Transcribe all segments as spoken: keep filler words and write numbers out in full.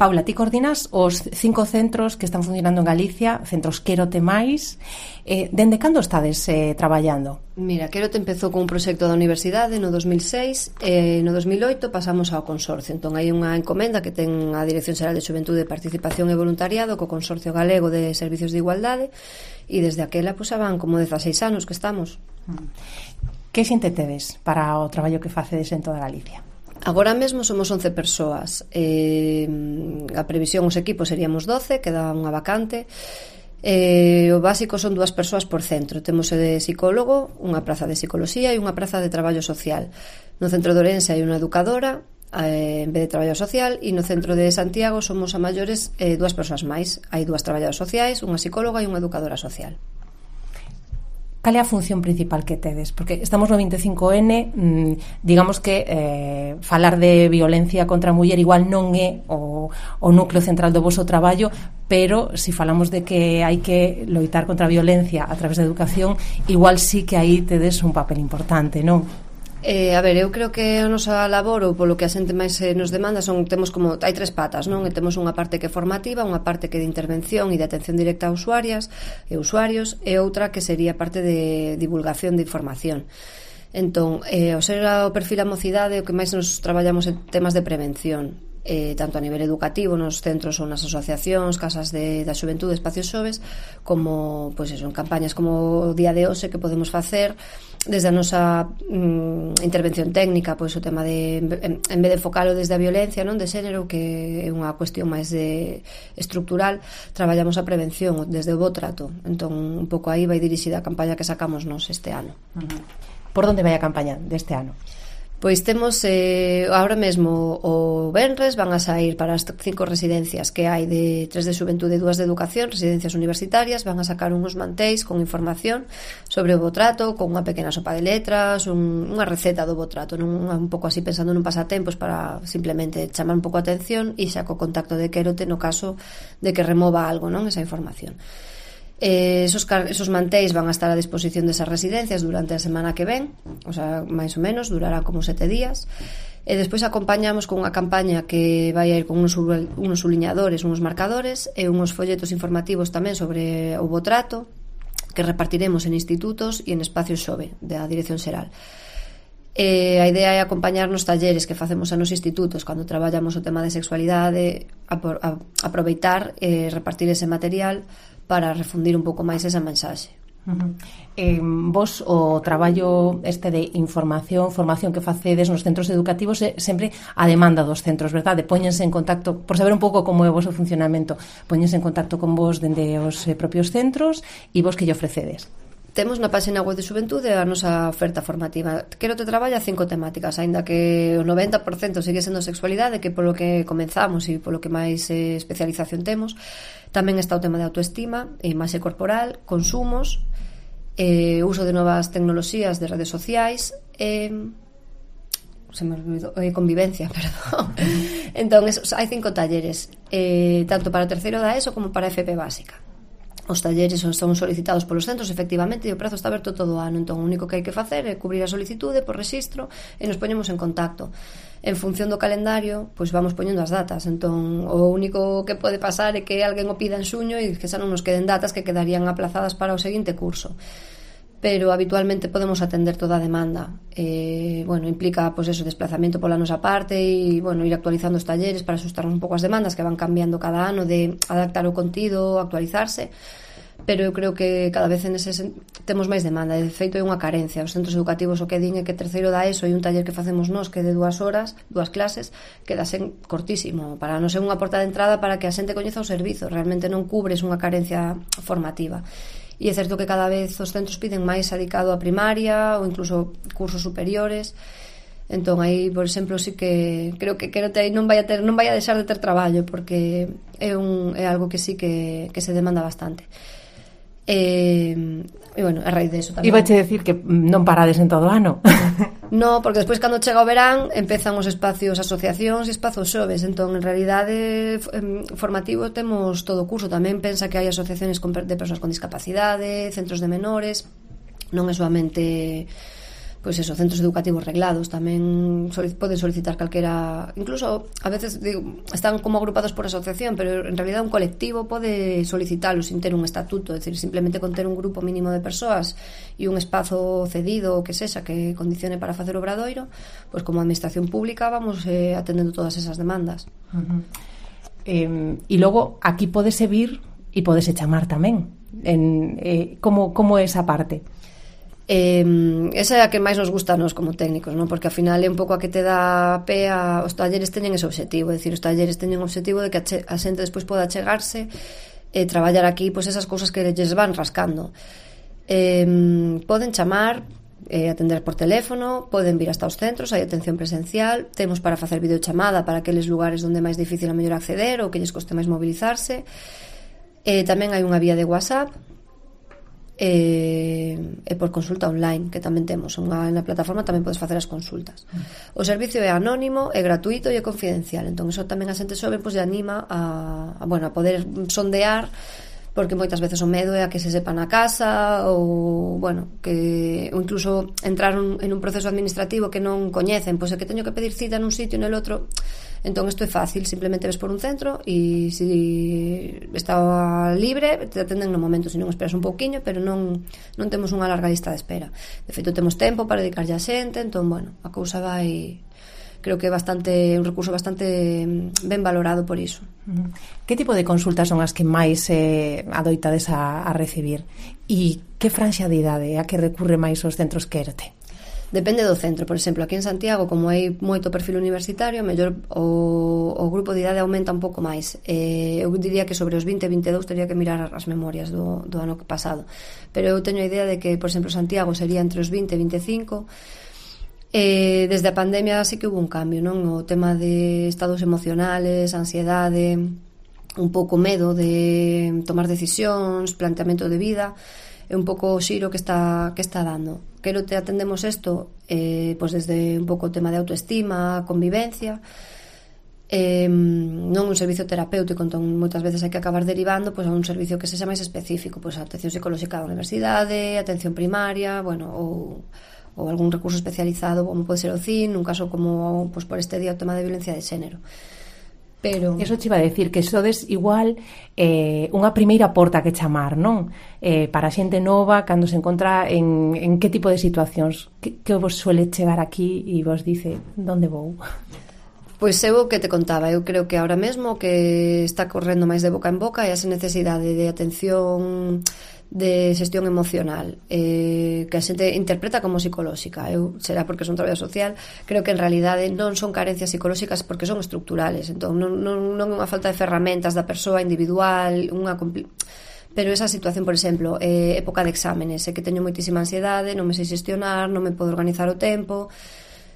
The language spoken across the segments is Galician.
Paula, ti coordinas os cinco centros que están funcionando en Galicia, centros Quérote máis. Eh, dende cando estades eh, traballando? Mira, Quérote empezou con un proxecto da universidade no dos mil seis e no dos mil oito pasamos ao consorcio. Entón hai unha encomenda que ten a Dirección Xeral de Xuventude, Participación e Voluntariado co Consorcio Galego de Servicios de Igualdade e desde aquela pues, van como dezaseis anos que estamos. Que xente tedes para o traballo que facedes en toda Galicia? Agora mesmo somos once persoas. Eh, a previsión, os equipos seríamos doce, queda unha vacante. Eh, o básico son dúas persoas por centro. Temos de psicólogo, unha praza de psicoloxía e unha praza de traballo social. No centro de Ourense hai unha educadora eh, en vez de traballo social, e no centro de Santiago somos a maiores eh, dúas persoas máis. Hai dúas traballadoras sociais, unha psicóloga e unha educadora social. Cal é a función principal que tedes? Porque estamos no vinte e cinco ene, mmm, digamos que eh, falar de violencia contra a muller igual non é o, o núcleo central do voso traballo, pero se si falamos de que hai que loitar contra a violencia a través da educación, igual sí que aí tedes un papel importante, non? Eh, a ver, eu creo que a nosa labor ou polo que a xente máis eh, nos demanda son, temos como, hai tres patas, non? E temos unha parte que é formativa, unha parte que é de intervención e de atención directa a usuarias e usuarios, e outra que sería parte de divulgación de información. Entón, eh, o ser o perfil a mocidade, o que máis nos traballamos en temas de prevención, eh, tanto a nivel educativo nos centros ou nas asociacións, casas de, da xuventude, espacios xoves, como, pois eso, en campañas como o Día de Hoxe que podemos facer desde a nosa mm, intervención técnica, pois o tema de en, en vez de focalo desde a violencia, non, de xénero, que é unha cuestión máis de estructural, traballamos a prevención desde o bo trato. Entón, un pouco aí vai dirixida a campaña que sacamos nos este ano. Uh-huh. Por onde vai a campaña deste ano? Pois temos eh, ahora mesmo o venres van a sair para as cinco residencias que hai, de tres de xuventude e dúas de educación, residencias universitarias, van a sacar uns mantéis con información sobre o bo trato, con unha pequena sopa de letras, un, unha receta do bo trato, non, un pouco así pensando nun pasatempos para simplemente chamar un pouco a atención e xa co contacto de Quérote no caso de que remova algo, non, esa información. Eh, esos, esos mantéis van a estar a disposición desas residencias durante a semana que ven, o sea, máis ou menos, durará como sete días, e despois acompañamos con unha campaña que vai a ir con uns, unos subliñadores, uns marcadores e uns folletos informativos tamén sobre o bo trato que repartiremos en institutos e en espacios xove da Dirección Xeral. E a idea é acompañar nos talleres que facemos a nos institutos cando traballamos o tema de sexualidade, a, a, aproveitar e repartir ese material para refundir un pouco máis esa mensaxe. Uh-huh. Eh, vos o traballo este de información, formación que facedes nos centros educativos é sempre a demanda dos centros, verdade? Póñense en contacto, por saber un pouco como é o vosso funcionamento, póñense en contacto con vos dende os eh, propios centros e vos que lle ofrecedes? Temos na página web de Xuventude a nosa oferta formativa. Quérote traballa cinco temáticas, aínda que o noventa por cento sigue sendo sexualidade, que polo que comenzamos e polo que máis eh, especialización temos. Tamén está o tema de autoestima, imaxe corporal, consumos, eh, uso de novas tecnoloxías de redes sociais, eh, se me olvidou, eh, convivencia, perdón. Entón, eso, hai cinco talleres, eh, tanto para terceiro da ESO como para F P básica. Os talleres son solicitados polos centros, efectivamente, e o prazo está aberto todo o ano. Entón, o único que hai que facer é cubrir a solicitude por rexistro e nos poñemos en contacto. En función do calendario, pois vamos poñendo as datas. Entón, o único que pode pasar é que alguén o pida en xuño e que xa non nos queden datas que quedarían aplazadas para o seguinte curso. Pero habitualmente podemos atender toda a demanda. Eh, bueno, implica, pois eso, desplazamento pola nosa parte e, bueno, ir actualizando os talleres para asustar un pouco as demandas que van cambiando cada ano, de adaptar o contido, actualizarse. Pero eu creo que cada vez en ese sen... temos máis demanda. De feito, é unha carencia. Os centros educativos o que din é que terceiro da ESO e un taller que facemos nós que é de dúas horas, dúas clases, quedasen cortísimo. Para non ser unha porta de entrada para que a xente coñeza o servizo. Realmente non cubres unha carencia formativa. E é certo que cada vez os centros piden máis adicado a primaria ou incluso cursos superiores. Entón aí, por exemplo, sí que creo que Quérote aí non vai a ter, non vai a deixar de ter traballo, porque é un é algo que sí que que se demanda bastante. E, e bueno, a raíz de eso tamén. Iba a che decir que non parades en todo o ano. No, porque despois cando chega o verán empezan os espacios, asociacións e espazos xoves. Entón, en realidade formativo temos todo o curso. Tamén pensa que hai asociacións de persoas con discapacidade, centros de menores. Non é solamente pois eso, centros educativos reglados tamén solic- poden solicitar calquera, incluso a veces digo, están como agrupados por asociación, pero en realidad un colectivo pode solicitalo sin ter un estatuto, é dicir, simplemente con ter un grupo mínimo de persoas e un espazo cedido ou que sexa que condicione para facer obradoiro, pois como administración pública vamos eh, atendendo todas esas demandas. Uh-huh. Eh, e logo aquí podese vir e podese chamar tamén en, eh, como, como é esa parte? Eh, esa é a que máis nos gusta a nos como técnicos, non? Porque ao final é un pouco a que te dá pé a, os talleres teñen ese objetivo, é dicir, os talleres teñen o objetivo de que a, che, a xente despois poda chegarse e traballar aquí pois esas cousas que lles van rascando. Eh, poden chamar, eh, atender por teléfono, poden vir hasta os centros, hai atención presencial, temos para facer videochamada para aqueles lugares onde é máis difícil a mellor acceder ou que lles coste máis mobilizarse. Eh, tamén hai unha vía de WhatsApp e, e por consulta online, que tamén temos unha, na plataforma tamén podes facer as consultas. O servicio é anónimo, é gratuito e é confidencial, entón iso tamén a xente xoven pois, lle anima a, a, bueno, a poder sondear, porque moitas veces o medo é a que se sepa na casa ou, bueno, que ou incluso entrar un, en un proceso administrativo que non coñecen, pois é que teño que pedir cita nun sitio e nel outro. Entón isto é fácil, simplemente ves por un centro e se si está libre te atenden no momento, se non esperas un pouquiño, pero non, non temos unha larga lista de espera. De feito temos tempo para dedicarlle a xente, entón, bueno, a cousa vai, creo que é bastante un recurso bastante ben valorado por iso. Que tipo de consultas son as que máis eh, adoitades a, a recibir? E que franxa de idade a que recurre máis os centros Quérete? Depende do centro, por exemplo, aquí en Santiago, como hai moito perfil universitario, mellor o, o grupo de idade aumenta un pouco máis. Eh, eu diría que sobre os vinte, vinte e dous teria que mirar as memorias do, do ano pasado. Pero eu teño a idea de que, por exemplo, Santiago sería entre os vinte e vinte e cinco. Eh, desde a pandemia sí que hubo un cambio, non? O tema de estados emocionales, ansiedade, un pouco medo de tomar decisións, planteamento de vida, é un pouco o xiro que está, que está dando. Quero te atendemos isto eh, pois desde un pouco o tema de autoestima, convivencia, eh, non un servicio terapéutico, entón moitas veces hai que acabar derivando pois, a un servicio que sexa máis específico, pois a atención psicolóxica da universidade, atención primaria, bueno, ou, ou algún recurso especializado como pode ser o C I N, nun caso como pois, por este día o tema de violencia de xénero. Pero... Eso te iba a decir, que sodes igual eh, unha primeira porta que chamar, non? Eh, para a xente nova, cando se encontra en, en que tipo de situacións, que, que vos suele chegar aquí e vos dice, donde vou? Pois eu o que te contaba, eu creo que ahora mesmo que está correndo máis de boca en boca é esa necesidade de atención de xestión emocional eh, que a xente interpreta como psicolóxica. Eu, será porque son traballador social, creo que en realidade non son carencias psicolóxicas porque son estructurales, entón non, non, non é unha falta de ferramentas da persoa individual, unha compli... pero esa situación, por exemplo, eh, época de exámenes, é que teño moitísima ansiedade, non me sei xestionar, non me podo organizar o tempo,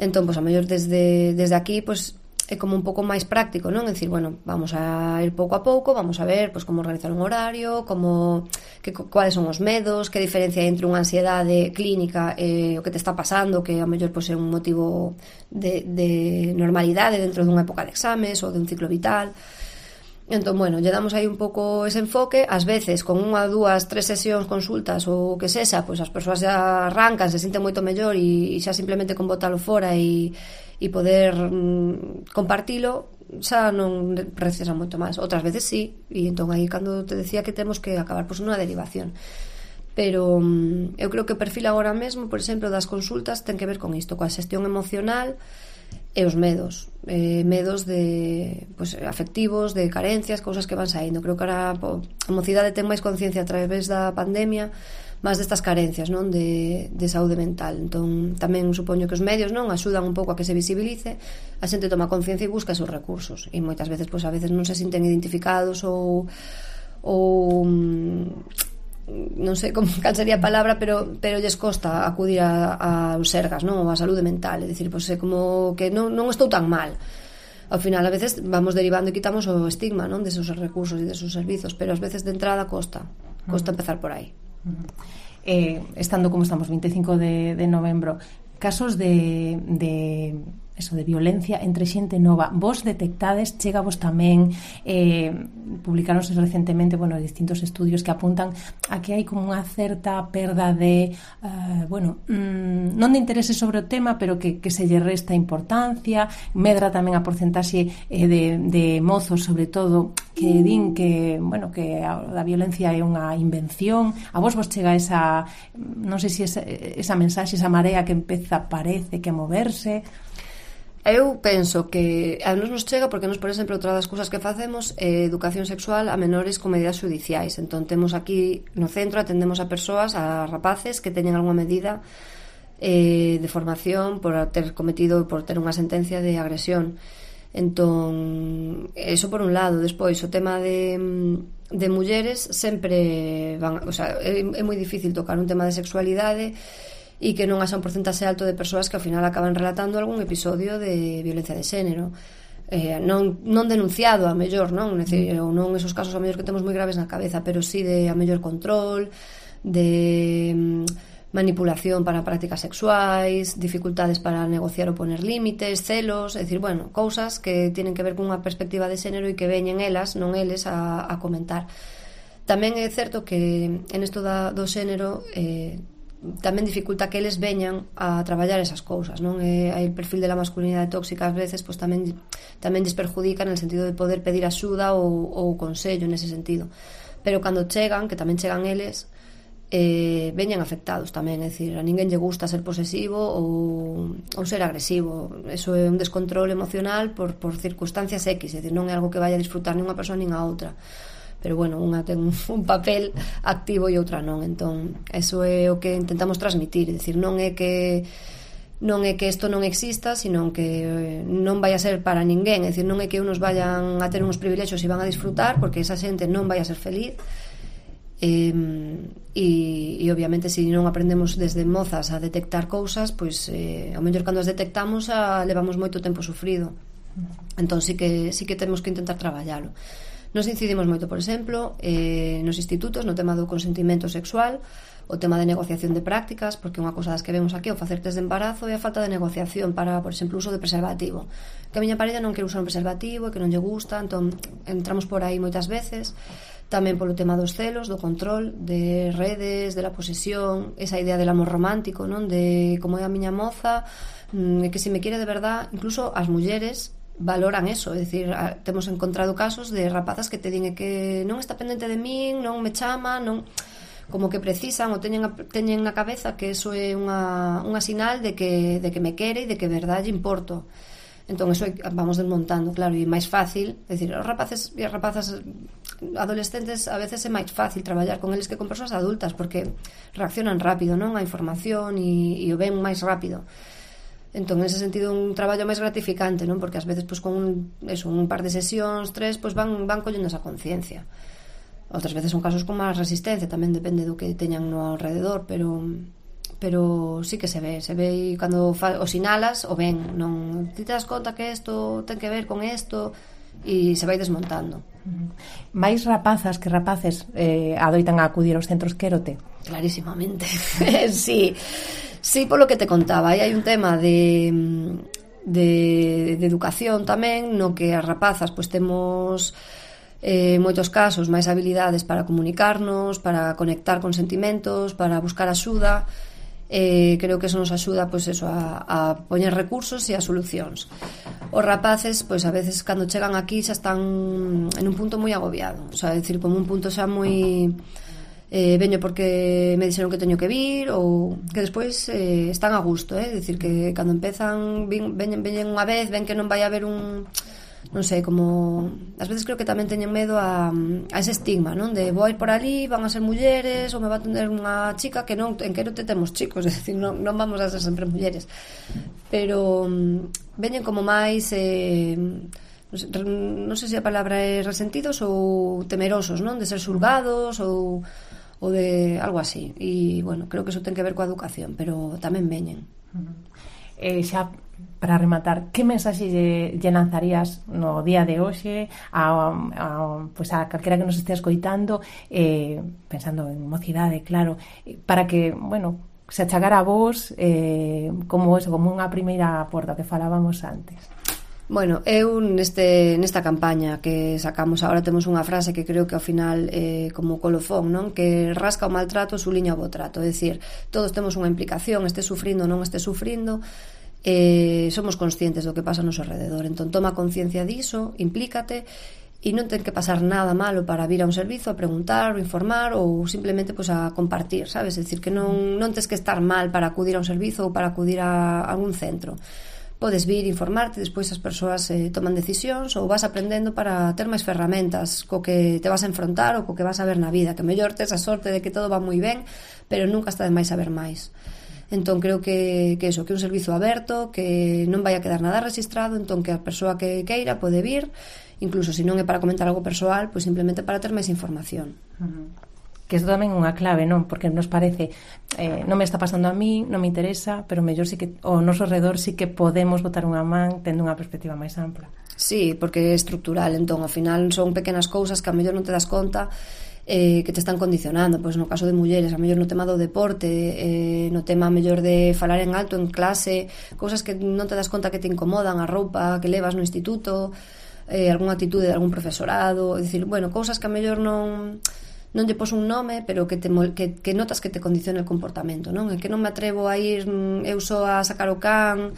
entón, pois, a mellor desde, desde aquí, pois é como un pouco máis práctico, non? É dicir, bueno, vamos a ir pouco a pouco, vamos a ver pois como organizar un horario, como que cuáles son os medos, que diferencia entre unha ansiedade clínica e eh, o que te está pasando, que a mellor pois é un motivo de, de normalidade dentro dunha época de exames ou de un ciclo vital. Entón, bueno, lle damos aí un pouco ese enfoque, ás veces con unha, dúas, tres sesións, consultas ou que sexa, pois as persoas xa arrancan, se sinten moito mellor e, e xa simplemente con botalo fora e e poder mm, compartilo xa non precisa moito máis. Outras veces sí, e entón aí cando te decía que temos que acabar pois, nunha derivación. Pero mm, eu creo que o perfil agora mesmo, por exemplo, das consultas ten que ver con isto, coa xestión emocional e os medos, eh, medos de pues, afectivos, de carencias, cousas que van saindo. Creo que ahora po, a mocidade ten máis conciencia a través da pandemia máis destas carencias, non, de, de saúde mental. Entón, tamén supoño que os medios, non, axudan un pouco a que se visibilice, a xente toma conciencia e busca esos recursos. E moitas veces, pois, a veces non se sinten identificados ou ou non sei como cal sería a palabra, pero pero lles costa acudir a, a os sergas, non, ou a saúde mental, é dicir, pois é como que non, non estou tan mal. Ao final, a veces vamos derivando e quitamos o estigma, non, desos recursos e desos servizos, pero ás veces de entrada costa, costa empezar por aí. Eh, estando como estamos, vinte e cinco de, de novembro, casos de, de eso de violencia entre xente nova. Vos detectades, chega vos tamén, eh, publicaronse recentemente, bueno, distintos estudios que apuntan a que hai como unha certa perda de, uh, bueno, mmm, non de interese sobre o tema, pero que, que se lle resta importancia, medra tamén a porcentaxe eh, de, de mozos, sobre todo, que din que, bueno, que a, a violencia é unha invención. A vos vos chega esa, non sei se esa, esa mensaxe, esa marea que empeza, parece, que a moverse. Eu penso que a nos nos chega porque nos, por exemplo, outra das cousas que facemos é educación sexual a menores con medidas judiciais. Entón temos aquí no centro, atendemos a persoas, a rapaces que teñen algunha medida eh, de formación por ter cometido, por ter unha sentencia de agresión. Entón, eso por un lado. Despois, o tema de, de mulleres sempre van, o sea, é, é moi difícil tocar un tema de sexualidade e que non haxa un porcentaxe alto de persoas que ao final acaban relatando algún episodio de violencia de xénero, eh, non, non denunciado a mellor, non? Decir, ou non esos casos a mellor que temos moi graves na cabeza, pero sí de a mellor control, de mm, manipulación para prácticas sexuais, dificultades para negociar ou poner límites, celos, é dicir, bueno, cousas que tienen que ver cunha perspectiva de xénero e que veñen elas, non eles, a, a comentar. Tamén é certo que en isto da, do xénero eh, tamén dificulta que eles veñan a traballar esas cousas, non? E hai o perfil de la masculinidade tóxica ás veces, pois tamén tamén lles perjudica en el sentido de poder pedir axuda ou, ou consello nese sentido. Pero cando chegan, que tamén chegan eles, eh, veñan afectados tamén, é dicir, a ninguén lle gusta ser posesivo ou, ou ser agresivo. Eso é un descontrol emocional por, por circunstancias X, é dicir, non é algo que vaya a disfrutar nin unha persoa nin a outra. Pero bueno, unha ten un papel activo e outra non, entón eso é o que intentamos transmitir, é dicir, non é que non é que isto non exista, sino que non vai a ser para ninguén, é dicir, non é que unos vayan a ter uns privilexios e van a disfrutar, porque esa xente non vai a ser feliz. E, e, e obviamente se non aprendemos desde mozas a detectar cousas, pois eh, ao mellor cando as detectamos a, levamos moito tempo sufrido, entón sí que, sí que temos que intentar traballalo. Nos incidimos moito, por exemplo, eh, nos institutos no tema do consentimento sexual, o tema de negociación de prácticas, porque unha cousa das que vemos aquí, o facer test de embarazo, é a falta de negociación para, por exemplo, o uso de preservativo. Que a miña parella non quere usar un preservativo, que non lle gusta, entón entramos por aí moitas veces. Tamén polo tema dos celos, do control, de redes, de la posesión, esa idea del amor romántico, non? De como é a miña moza, que se me quere de verdad, incluso as mulleres valoran eso, é dicir, temos encontrado casos de rapazas que te din que non está pendente de min, non me chama, non, como que precisan ou teñen, teñen na cabeza que eso é unha, unha sinal de que, de que me quere e de que verdade importo. Entón, eso vamos desmontando, claro, e máis fácil, é dicir, os rapaces e as rapazas adolescentes a veces é máis fácil traballar con eles que con persoas adultas, porque reaccionan rápido, non? A información e, e o ven máis rápido. Entón, en ese sentido, un traballo máis gratificante, non? Porque ás veces, pois, con un, eso, un par de sesións, tres, pois, van, van collendo esa conciencia. Outras veces son casos con máis resistencia, tamén depende do que teñan no alrededor, pero pero sí que se ve, se ve cando fa, o sinalas, o ven, non? Ti te das conta que isto ten que ver con isto, e se vai desmontando. Mais rapazas que rapaces eh, adoitan a acudir aos centros Quérote? Clarísimamente, sí. Sí, polo que te contaba, aí hai un tema de, de, de educación tamén, no que as rapazas pois temos eh, moitos casos máis habilidades para comunicarnos, para conectar con sentimentos, para buscar axuda. Eh, creo que eso nos axuda pois eso, a, a poñer recursos e a solucións. Os rapaces, pois a veces cando chegan aquí xa están en un punto moi agobiado, o sea, decir, como un punto xa moi eh, veño porque me dixeron que teño que vir, ou que despois eh, están a gusto, eh? Dicir que cando empezan veñen, veñen unha vez, ven que non vai haber un, non sei, como ás veces creo que tamén teñen medo a, a ese estigma, non? De vou ir por ali, van a ser mulleres, ou me va a atender unha chica, que non, en Quérote temos chicos, é dicir, non, non vamos a ser sempre mulleres, pero veñen como máis eh, non sei se a palabra é resentidos ou temerosos, non? De ser xulgados ou ou de algo así, e bueno, creo que eso ten que ver coa educación, pero tamén veñen. Eh, xa para rematar, que mensaxe lle, lle lanzarías no día de hoxe a, a, pues a calquera que nos estea escoitando, eh, pensando en mocidade, claro, para que, bueno, se achagar a vos eh, como eso, como unha primeira porta que falábamos antes. Bueno, eu neste, nesta campaña que sacamos agora temos unha frase que creo que ao final é eh, como colofón, non? Que rasca o maltrato, suliña o bo trato. É dicir, todos temos unha implicación, este sufrindo ou non este sufrindo, eh, somos conscientes do que pasa no noso alrededor. Entón, toma conciencia diso, implícate, e non ten que pasar nada malo para vir a un servizo a preguntar ou informar ou simplemente pues, a compartir, sabes? É dicir, que non, non tes que estar mal para acudir a un servizo ou para acudir a algún centro. Podes vir, informarte, despois as persoas eh, toman decisións ou vas aprendendo para ter máis ferramentas co que te vas a enfrontar ou co que vas a ver na vida, que mellor tes a sorte de que todo va moi ben, pero nunca está de máis saber máis. Entón creo que, que eso, que un servizo aberto, que non vai a quedar nada registrado, entón que a persoa que queira pode vir, incluso se non é para comentar algo persoal, pois simplemente para ter máis información. Uh-huh. Que isto tamén é unha clave, non? Porque nos parece, eh, non me está pasando a mí, non me interesa, pero mellor sí que o noso redor sí que podemos botar unha man tendo unha perspectiva máis ampla. Sí, porque é estructural, entón ao final son pequenas cousas que a mellor non te das conta eh, que te están condicionando, pois no caso de mulleres, a mellor no tema do deporte, eh, no tema a mellor de falar en alto en clase, cousas que non te das conta que te incomodan, a roupa que levas no instituto, eh, algunha actitude de algún profesorado, é dicir, bueno, cousas que a mellor non non lle pos un nome, pero que, te, que, que notas que te condiciona el comportamento, non? É que non me atrevo a ir eu só a sacar o can,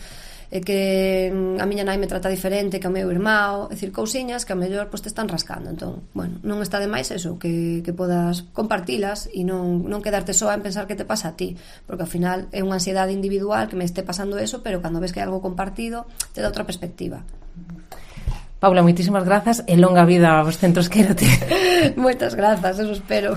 é que a miña nai me trata diferente que o meu irmão, é dicir, cousiñas que a mellor pois, te están rascando. Entón, bueno, non está de máis eso, que, que podas compartilas e non, non quedarte só en pensar que te pasa a ti, porque ao final é unha ansiedade individual que me este pasando eso, pero cando ves que hai algo compartido te dá outra perspectiva. Paula, moitísimas grazas e longa vida aos centros Quérote. Moitas grazas, eso espero.